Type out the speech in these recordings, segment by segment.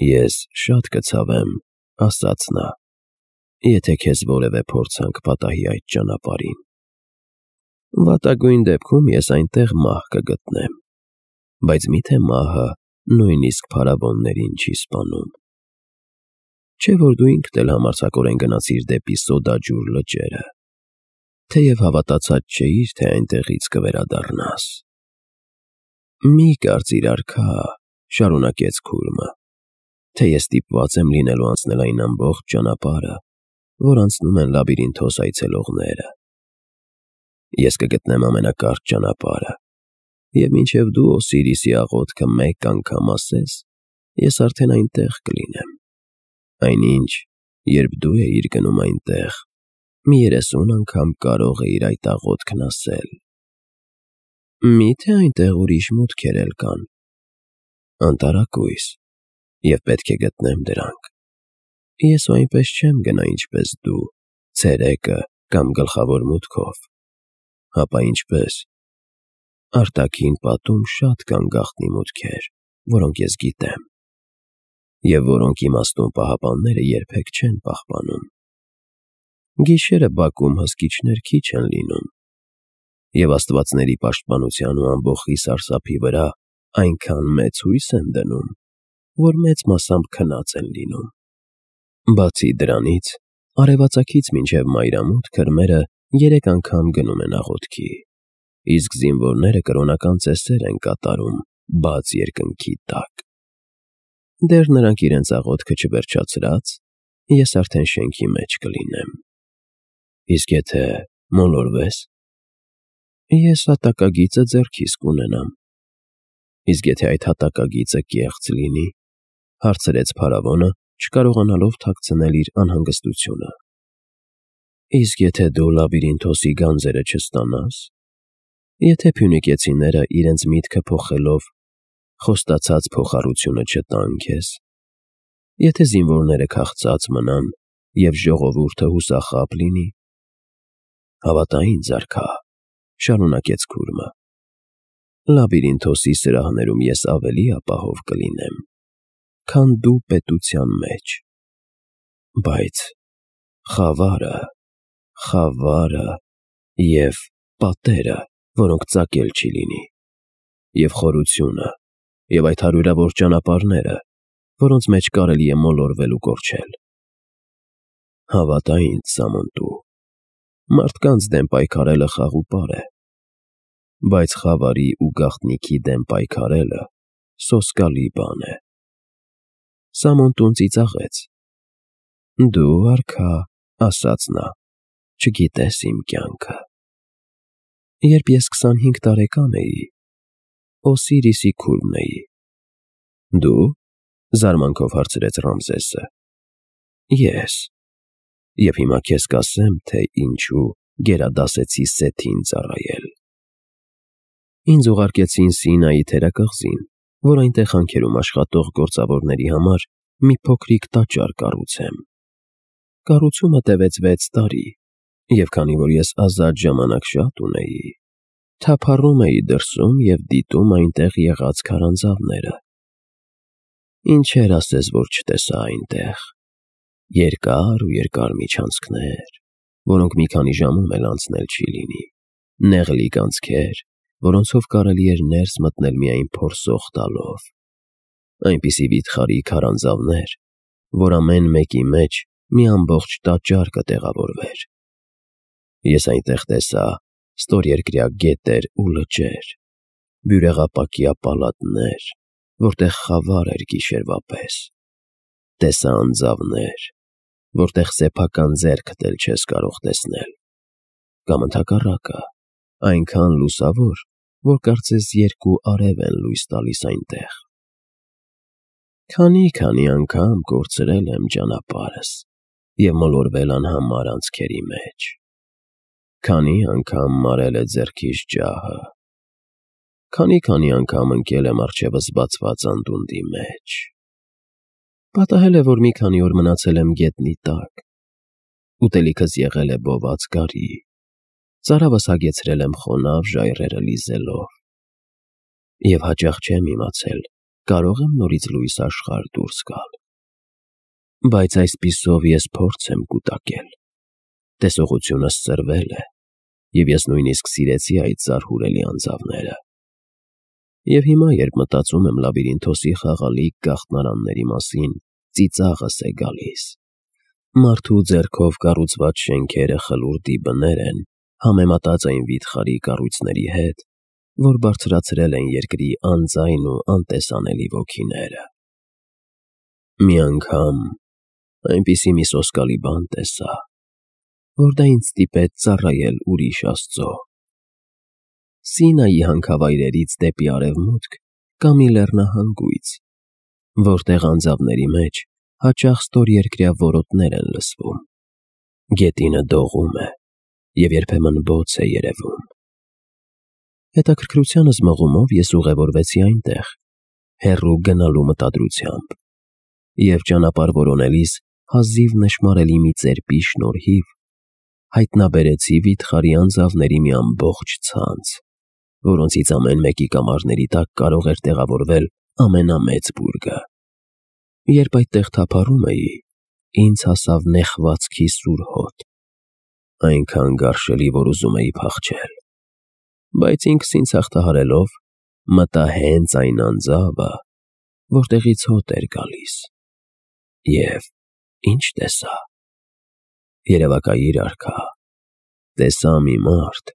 Ես շատ կցավեմ, ասաց նա, եթե քեզ որևէ փորձանք պատահի այդ ճանապարհին։ Վատագույն դեպքում ես այնտեղ մահ կգտնեմ, բայց միթե մահը նույնիսկ փարավոններին չի սպանում։ Չէ՞ որ դու ինքդ էլ համարձակորեն գնացիր դեպի սոդաջուր լճերը, թեև հավատացած չէիր, թե այնտեղից կվերադառնաս։ Մի կարծիր, արքա, շարունակեց քուրմը, թե ես ստիպված եմ լինելու անցնել այն ամբողջ ճանապարհը, որ անցնում են լաբիրինթոս այցելողները։ Ես կգտնեմ ամենակարճ ճանապարհը, և մինչև դու Օսիրիսի աղոթքը մեկ անգամ ասես, ես արդեն այնտեղ կլինեմ։ Այնինչ, երբ դու էիր գնում այնտեղ, մի 30 անգամ կարող էիր այդ աղոթքն ասել։ Մի՞թե այնտեղ ուրիշ մուտքեր էլ կան։ Անտարակույս, և պետք է գտնեմ դրանք։ Ես ու այնպես չեմ գնա, ինչպես դու, ցերեկը կամ գլխավոր մուտքով, հապա ինչպես։ Արտաքին պատում շատ կան գաղտնի մուտքեր, որոնք ես գիտեմ, և որոնք իմաստուն պահապանները երբեք չեն պահպանում։ Գիշերը բակում հսկիչներ քիչ են լինում, և աստվածների պաշտպանության ու ամբոխի սարսափի վրա այնքան մեծ հույս են դնում, որ մեծ մասամբ քնած են լինում։ Բացի դրանից, արևածագից մինչև մայրամուտ քրմերը 3 անգամ գնում են աղոթքի, իսկ զինվորները կրոնական ծեսեր են կատարում բաց երկնքի տակ։ Դեռ նրանք իրենց աղոթքը չվերջացրած, ես արդեն շենքի մեջ կլինեմ։ Իսկ եթե մոլորվես, ես հատակագիծը ձեռքիս կունենամ։ Իսկ եթե այդ հատակագիծը կեղծ լինի, հարցրեց փարավոնը, չկարողանալով թաքցնել իր անհանգստությունը։ Իսկ եթե դու լաբիրինթոսի գանձերը չստանաս, եթե փյունիկեցիները իրենց միտքը փոխելով խոստացած փոխառությունը չտան քեզ, եթե զինվորները քաղցած մնան և ժողովուրդը հուսախաբ լինի, հավատա ինձ, արքա, շարունակեց քուրմը, լաբիրինթոսի սրահներում ես ավելի ապահով կլինեմ, քան դու պետության մեջ։ Բայց խավարը և պատերը, որոնք ծակել չի լինի, և խորությունը, և այդ հարյուրավոր ճանապարհները, որոնց մեջ կարելի է մոլորվել ու կորչել։ Հավատա ինձ, Սամոնտու, մարդկանց դեմ պայքարելը խաղ ու պար է, բայց խավարի ու գաղտնիքի դեմ պայքարելը սոսկալի բան է։ Սամոնտուն ծիծաղեց։ Դու, արքա, ասաց նա, չգիտես իմ կյանքը։ Երբ ես 25 տարեկան էի, Օսիրիսի քուրմն էի։ Դու, զարմանքով հարցրեց Ռամզեսը։ Ես։ Եվ հիմա քեզ կասեմ, թե ինչու գերադասեցի Սեթին ծառայել։ Ինձ ուղարկեցին Սինայի թերակղզին, որ այնտեղ հանքերում աշխատող գործավորների համար մի փոքրիկ տաճար կառուցեմ։ Կառուցումը տևեց 6 տարի, և քանի որ ես ազատ ժամանակ շատ ունեի, թափառում էի դրսում և դիտում այնտեղ եղած քարանձավները։ Ինչեր ասես, որ չտեսա այնտեղ։ Երկար ու երկար միջանցքներ, որոնք մի քանի ժամում էլ անցնել չի լինի, նեղլիկ անցքեր, որոնցով կարելի էր ներս մտնել միայն փորսող տալով, այնպիսի վիթխարի քարանձավներ, որ ամեն մեկի մեջ մի ամբողջ տաճար կտեղավորվեր։ Ես այնտեղ տեսա ստորերկրյա գետեր ու լճեր, բյուրեղապակյա պալատներ, որտեղ խավար էր գիշերվա պես, տեսա անձավներ, որտեղ սեփական ձեռքդ էլ չես կարող տեսնել, կամ ընդհակառակը, այնքան լուսավոր, որ կարծես 2 արև են լույս տալիս այնտեղ։ Քանի անգամ կորցրել եմ ճանապարհս և մոլորվել անհամար անցքերի մեջ։ Քանի անգամ մարել է ձեռքիս ջահը։ Քանի անգամ ընկել եմ առջևս բացված անդունդի մեջ։ Պատահել է, որ մի քանի օր մնացել եմ գետնի տակ։ Ուտելիքս եղել է բոված գարի, ծարավս հագեցրել եմ խոնավ ժայռերը լիզելով։ Եվ հաճախ չեմ իմացել, կարող եմ նորից լույս աշխարհ դուրս գալ։ Բայց այսպիսով ես փորձ եմ կուտակել։ Տեսողությունս ծրվել է, և ես նույնիսկ սիրեցի այդ զարհուրելի անձավները։ Եվ հիմա, երբ մտածում եմ լաբիրինթոսի խաղալիք գաղտնարանների մասին, ծիծաղս է գալիս։ Մարդու ձեռքով կառուցված շենքերը խլուրդի բներ են, համեմատած այն վիթխարի կառույցների հետ, որ բարձրացրել են երկրի անձայն ու անտեսանելի ոգիները։ Մի անգամ այնպիսի մի սոսկալի բան տեսա, որ դա ինձ ստիպեց ծառայել ուրիշ աստծո։ Սինայի հանքավայրերից դեպի արևմուտք կա մի լեռնահանգույց, որտեղ անձավների մեջ հաճախ ստորերկրյա որոտներ են լսվում։ Գետինը դողում է, և երբեմն բոց է երևում։ Հետաքրքրությանս մղումով ես ուղևորվեցի այնտեղ, հեռու գնալու մտադրությամբ, և ճանապարհ որոնելիս հազիվ նշմարելի մի ծերպի շնորհիվ հայտնաբերեցի վիթխարի անձավների մի ամբողջ ցանց, որոնցից ամեն մեկի կամարների տակ կարող էր տեղավորվել ամենամեծ բուրգը։ Երբ այդտեղ թափառում էի, ինձ հասավ նեխվածքի սուր հոտ, այնքան գարշելի, որ ուզում էի փախչել, բայց ինքս ինձ հաղթահարելով մտա հենց այն անձավը, որտեղից հոտ էր գալիս, և ի՞նչ տեսա։ Երևակայիր արքա, տեսա մի մարդ,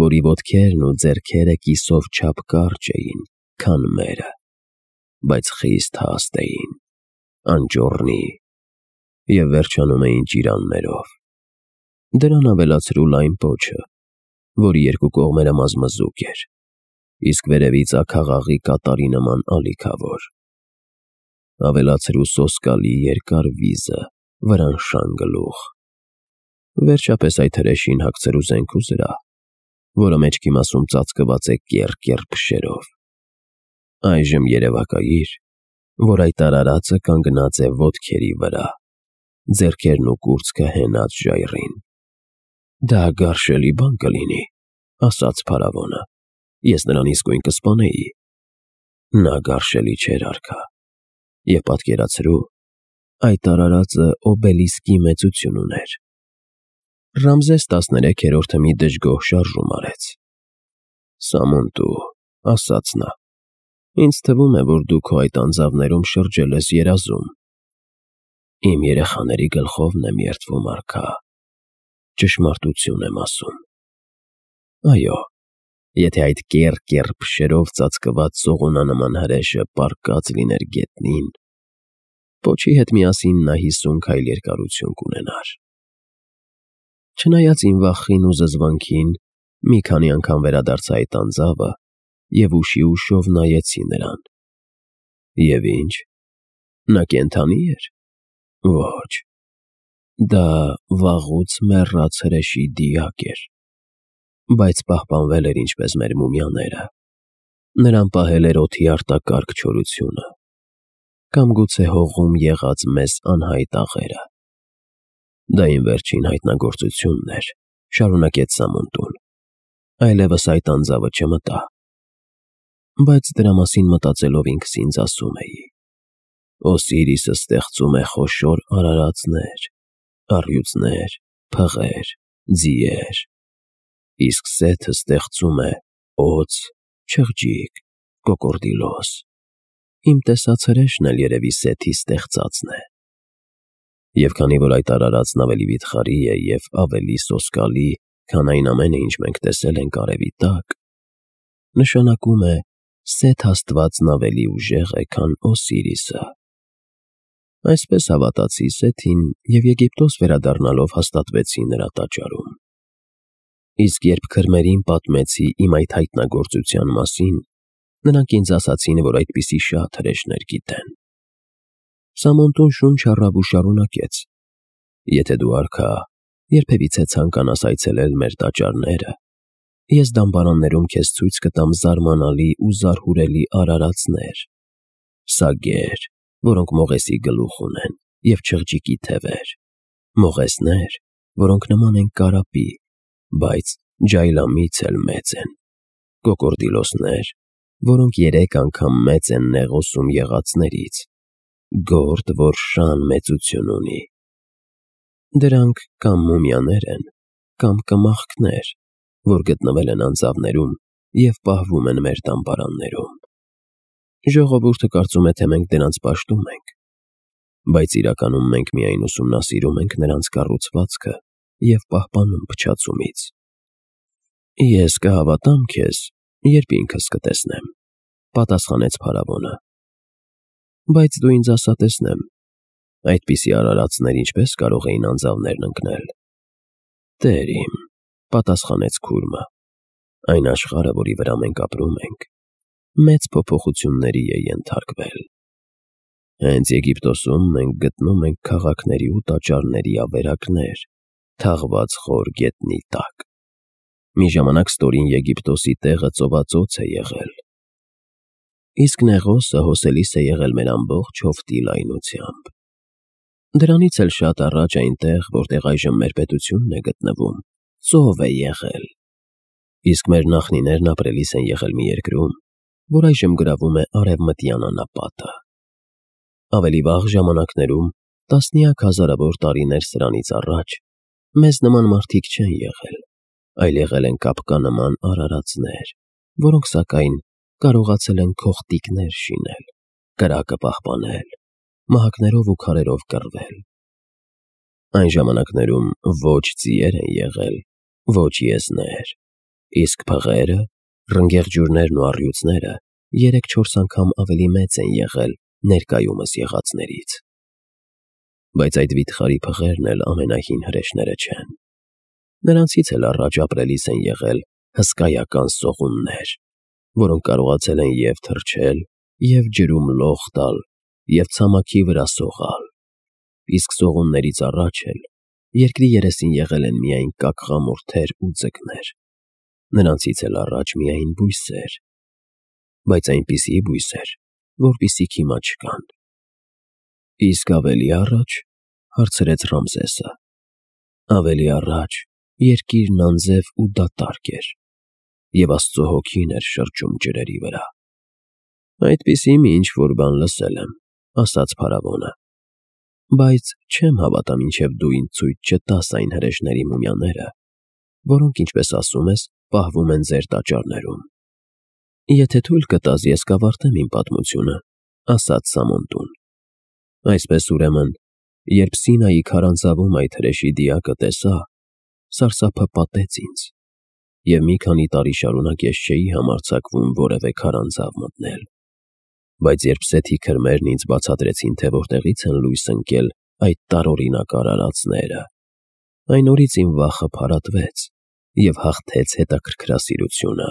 որի ոտքերն ու ձեռքերը կիսով չափ կարճ էին, քան մերը, բայց խիստ հաստ էին, անճոռնի և վերջանում էին ճիրաններով։ Դրան ավելացրու լայն պոչը, որի երկու կողմերը մազմզուկ էր, իսկ վերևից աքաղաղի կատարի նման ալիքավոր։ Ավելացրու սոսկալի երկար վիզը, վրանշան գլուխ։ Վերջապես այդ հրեշին հագցրու զենք ու զրահ, որը մեջքի մասում ծածկված է կեռ փշերով։ Այժմ երևակայիր, որ այդ արարածը կանգնած է ոտքերի վրա, ձեռքերն ու կուրծքը հենած ժայռին։ Դա գարշելի բան կլինի, ասաց փարավոնը, ես նրան իսկույն կսպանեի։ Նա գարշելի չէր արքա, և պատկերացրու, այդ արարածը օբելիսկի մեծություն ուներ։ Ռամզես 13-րդը մի դժգոհ շարժում արեց։ Սամոնտու, ասաց նա, ինձ թվում է, որ դու քո այդ անձավներում շրջել ես երազում։ Իմ երեխաների գլխովն եմ երդվում, արքա, ճշմարտություն եմ ասում։ Այո, եթե այդ կեռ փշերով ծածկված սողունանման հրեշը պառկած լիներ գետնին, պոչի հետ միասին նա 50 քայլ երկարություն կունենար։ Չնայած իմ վախին ու զզվանքին, մի քանի անգամ վերադարձա այդ անձավը և ուշի ուշով նայեցի նրան։ Եվ ի՞նչ, նա կենդանի էր։ Ոչ, դա վաղուց մեռած հրեշի դիակ էր, բայց պահպանվել էր ինչպես մեր մումիաները։ Նրան պահել էր օդի արտակարգ չորությունը, կամ գուցե հողում եղած մեզ անհայտ աղերը։ Դա իմ վերջին հայտնագործությունն էր, շարունակեց Սամոնտուն, այլևս այդ անձավը չմտա։ Բայց դրա մասին մտածելով ինքս ինձ ասում էի. Օսիրիսը ստեղծում է խոշոր արարածներ, առյուծներ, փղեր, ձիեր, իսկ Սեթը ստեղծում է օձ, չղջիկ, կոկորդիլոս։ Իմ տեսած հրեշն էլ երևի Սեթի ստեղծածն է։ Եվ քանի որ այդ արարածն ավելի վիթխարի է և ավելի սոսկալի, քան այն ամենը, ինչ մենք տեսել ենք արևի տակ, նշանակում է Սեթ աստվածն ավելի ուժեղ է, քան Օսիրիսը։ Այսպես հավատացի Սեթին և Եգիպտոս վերադառնալով հաստատվեցի նրա տաճարում։ Իսկ երբ քրմերին պատմեցի իմ այդ հայտնագործության մասին, նրանք ինձ ասացին, որ այդպիսի շատ հրեշներ գիտեն։ Սամոնտուն շունչ առավ ու շարունակեց. Եթե դու, արքա, երբևիցե ցանկանաս այցելել մեր տաճարները, ես դամբարաններում քեզ ցույց կտամ զարմանալի ու զարհուրելի արարածներ, սագեր, որոնք մողեսի գլուխ ունեն, և չղջիկի թևեր, մողեսներ, որոնք նման են կարապի, բայց ջայլամից էլ մեծ են, կոկորդիլոսներ, որոնք 3 անգամ մեծ են նեղոսում եղածներից, գործ, որ շան մեծություն ունի։ Դրանք կամ մումիաներ են, կամ կմախքներ, որ գտնվել են անձավներում և պահվում են մեր տամբարաններում։ Ժողովուրդը կարծում է, թե մենք դրանց պաշտում ենք, բայց իրականում մենք միայն ուսումնասիրում ենք նրանց կառուցվածքը և պահպանում փչացումից։ Ես կհավատամ քեզ, երբ ինքս կտեսնեմ, պատասխանեց փարավոնը։ Բայց դու ինձ ասա տեսնեմ, այդպիսի արարածներ ինչպես կարող էին անձավներն ընկնել։ Տեր իմ, պատասխանեց քուրմը, այն աշխարհը, որի վրա մենք ապրում ենք, մեծ փոփոխությունների է ենթարկվել։ Հենց Եգիպտոսում մենք գտնում ենք քաղաքների ու տաճարների ավերակներ, թաղված խոր գետնի տակ։ Մի ժամանակ ստորին Եգիպտոսի տեղը ծովածոց է եղել։ Իսկ Նեղոսը հոսելիս է եղել մեր ամբողջ հովտի լայնությամբ։ Դրանից էլ շատ առաջ այնտեղ, որտեղ այժմ մեր պետությունն է գտնվում, ծով է եղել։ Իսկ մեր նախնիներն ապրելիս են եղել մի երկրում, որ այժմ գրավում է Արևմտյան անապատը։ Ավելի վաղ ժամանակներում, տասնյակ հազարավոր տարիներ սրանից առաջ, մեզ նման մարդիկ չեն եղել, այլ եղել են կապկանման արարածներ, որոնք սակայն կարողացել են քողտիկներ շինել, կրակը պահպանել, մահակներով ու քարերով կռվել։ Այն ժամանակներում ոչ ձիեր են եղել, ոչ եզներ, իսկ փղերը, ռնգեղջյուրներն ու առյուծները 3-4 անգամ ավելի մեծ են եղել ներկայումս եղածներից։ Բայց այդ վիթխարի փղերն էլ ամենահին հրեշները չեն։ Նրանցից էլ առաջ ապրելիս են եղել հսկայական սողուններ, որոնք կարողացել են և թռչել, և ջրում լող տալ, և ցամաքի վրա սողալ։ Իսկ սողուններից առաջ էլ երկրի երեսին եղել են միայն կակղամուրդեր ու ձկներ, նրանցից էլ առաջ միայն բույսեր, բայց այնպիսի բույսեր, որպիսիք հիմա չկան։ Իսկ ավելի առաջ, հարցրեց Ռամզեսը, ավելի առաջ երկիրն անձև ու դատարկ էր, և Աստծո հոգին էր շրջում ջրերի վրա։ Այդպիսի մի ինչ-որ բան լսել եմ, ասաց փարավոնը, բայց չեմ հավատա, մինչև դու ինձ ցույց չտաս այն հրեշների մումիաները, որոնք, ինչպես ասում ես, պահվում են ձեր տաճարներում։ Եթե թույլ կտաս, ես կավարտեմ իմ պատմությունը, ասաց Սամոնտուն։ Այսպես ուրեմն, երբ Սինայի քարանձավում այդ հրեշի դիակը տեսա, սարսափը պատեց ինձ, և մի քանի տարի շարունակ ես չէի համարձակվում որևէ քարանձավ մտնել։ Բայց երբ Սեթի քրմերն ինձ բացատրեցին, թե որտեղից են լույս ընկել այդ տարօրինակ արարածները, այն օրից իմ վախը փարատվեց և հաղթեց հետաքրքրասիրությունը։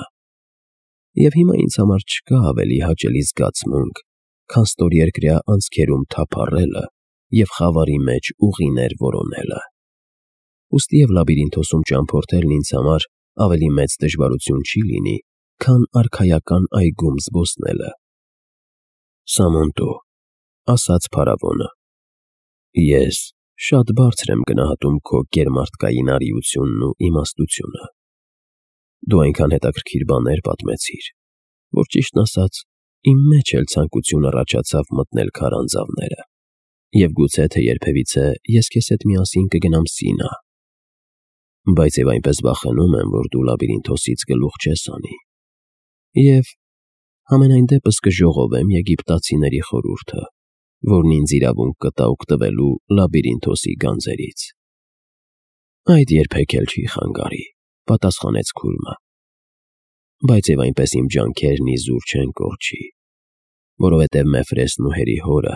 Եվ հիմա ինձ համար չկա ավելի հաճելի զգացմունք, քան ստորերկրյա անցքերում թափառելը և խավարի մեջ ուղիներ որոնելը։ Ուստի և լաբիրինթոսում ճամփորդելն ինձ համար ավելի մեծ դժվարություն չի լինի, քան արքայական այգում զբոսնելը։ Սամոնտո, ասաց փարավոնը, ես շատ բարձր եմ գնահատում քո գերմարդկային արիությունն ու իմաստությունը։ Դու այնքան հետաքրքիր բաներ պատմեցիր, որ ճիշտն ասած, իմ մեջ էլ ցանկություն առաջացավ մտնել քարանձավները, և գուցե թե երբևիցե ես քեզ հետ միասին կգնամ Սինա։ Բայց և այնպես վախենում եմ, որ դու լաբիրինթոսից գլուխ չես անի, և համենայն դեպս կժողովեմ եգիպտացիների խորհուրդը, որն ինձ իրավունք կտա օգտվելու լաբիրինթոսի գանձերից։ Այդ երբեք էլ չի խանգարի, պատասխանեց քուրմը։ Բայց և այնպես իմ ջանքերն իզուր չեն կորչի, որովհետև Մեֆրեսն ու հերի հորը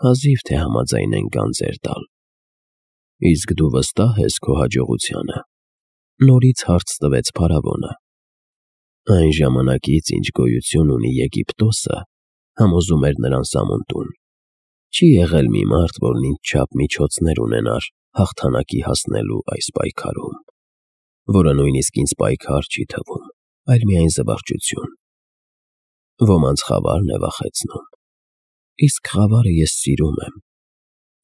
հազիվ թե համաձայն են գանձեր տալ։ Իսկ դու վստահ ես քո հաջողությանը, նորից հարց տվեց փարավոնը։ Այն ժամանակից, ինչ գոյություն ունի Եգիպտոսը, համոզում էր նրան Սամոնտուն, չի եղել մի մարդ, որն ինձչափ միջոցներ ունենար հաղթանակի հասնելու այս պայքարում, որը նույնիսկ ինձ պայքար չի թվում, այլ միայն զվարճություն։ Ոմանց խավարն է վախեցնում, իսկ խավարը ես սիրում եմ,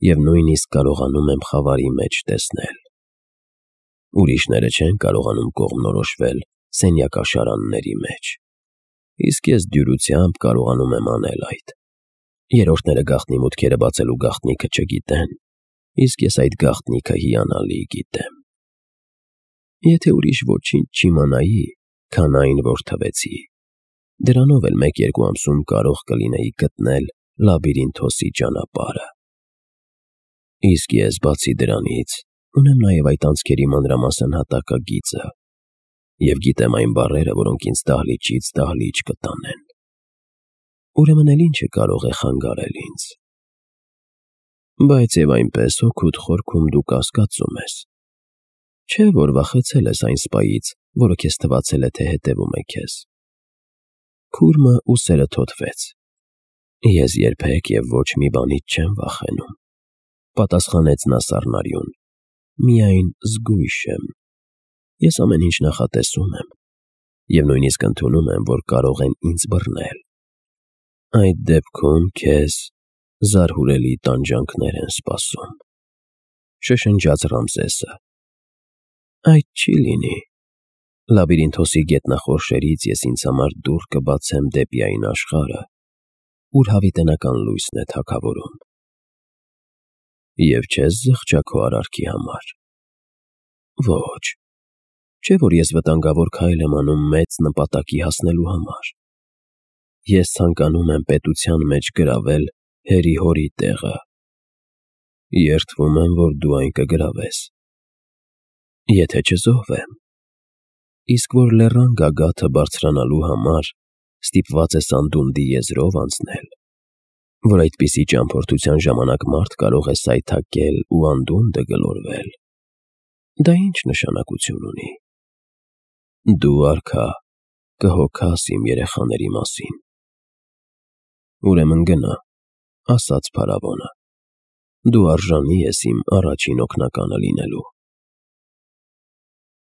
և նույնիսկ կարողանում եմ խավարի մեջ տեսնել։ Ուրիշները չեն կարողանում կողմնորոշվել սենյակաշարանների մեջ, Իսկ ես դյուրությամբ կարողանում եմ անել այդ։ Երրորդները գաղտնի մուտքերը բացելու գաղտնիքը չգիտեն, իսկ ես այդ գաղտնիքը հիանալի գիտեմ։ Եթե ուրիշ ոչինչ չիմանայի, քան այն, որ թվեցի, դրանով էլ 1-2 ամսում կարող կլինեի գտնել Լաբիրինթոսի ճանապարհը։ Իսկ ես, բացի դրանից, ունեմ նաև այդ անցքերի մանրամասն հատակագիծը և գիտեմ այն բառերը, որոնք ինձ դահլիճից դահլիճ կտանեն։ Ուրեմն էլ ինչը կարող է խանգարել ինձ։ Բայց և այնպես հոգուդ խորքում դու կասկածում ես, չէ՞ որ վախեցել ես այն սպայից, որը քեզ թվացել է, թե հետևում է քեզ։ Քուրմը ուսերը թոթվեց։ Ես երբեք և ոչ մի բանից չեմ վախենում, պատասխանեց նա սառնարյուն, միայն զգույշ եմ։ Ես ամեն ինչ նախատեսում եմ և նույնիսկ ընդունում եմ, որ կարող են ինձ բռնել։ Այդ դեպքում քեզ զարհուրելի տանջանքներ են սպասում, շշնջաց Ռամզեսը։ Այդ չի լինի։ Լաբիրինթոսի գետնախորշերից ես ինձ համար դուռ կբացեմ դեպի այն աշխարհը, ուր հավիտենական լույսն է թագավորում։ Եվ չես զղջա քո արարքի համար։ Ոչ, չէ՞ որ ես վտանգավոր քայլ եմ անում մեծ նպատակի հասնելու համար։ Ես ցանկանում եմ պետության մեջ գրավել հերի-հորի տեղը։ Երդվում եմ, որ դու այն կգրավես։ Եթե չզոհվեմ։ Իսկ որ լեռան գագաթը բարձրանալու համար ստիպված ես անդունդի եզրով անցնել, որ այդպիսի ճամփորդության ժամանակ մարդ կարող է սայթաքել ու անդունդը գլորվել, դա ինչ նշանակություն ունի։ Դու, արքա, կհոգաս իմ երեխաների մասին։ Ուրեմն գնա, ասաց փարավոնը, դու արժանի ես իմ առաջին օգնականը լինելու։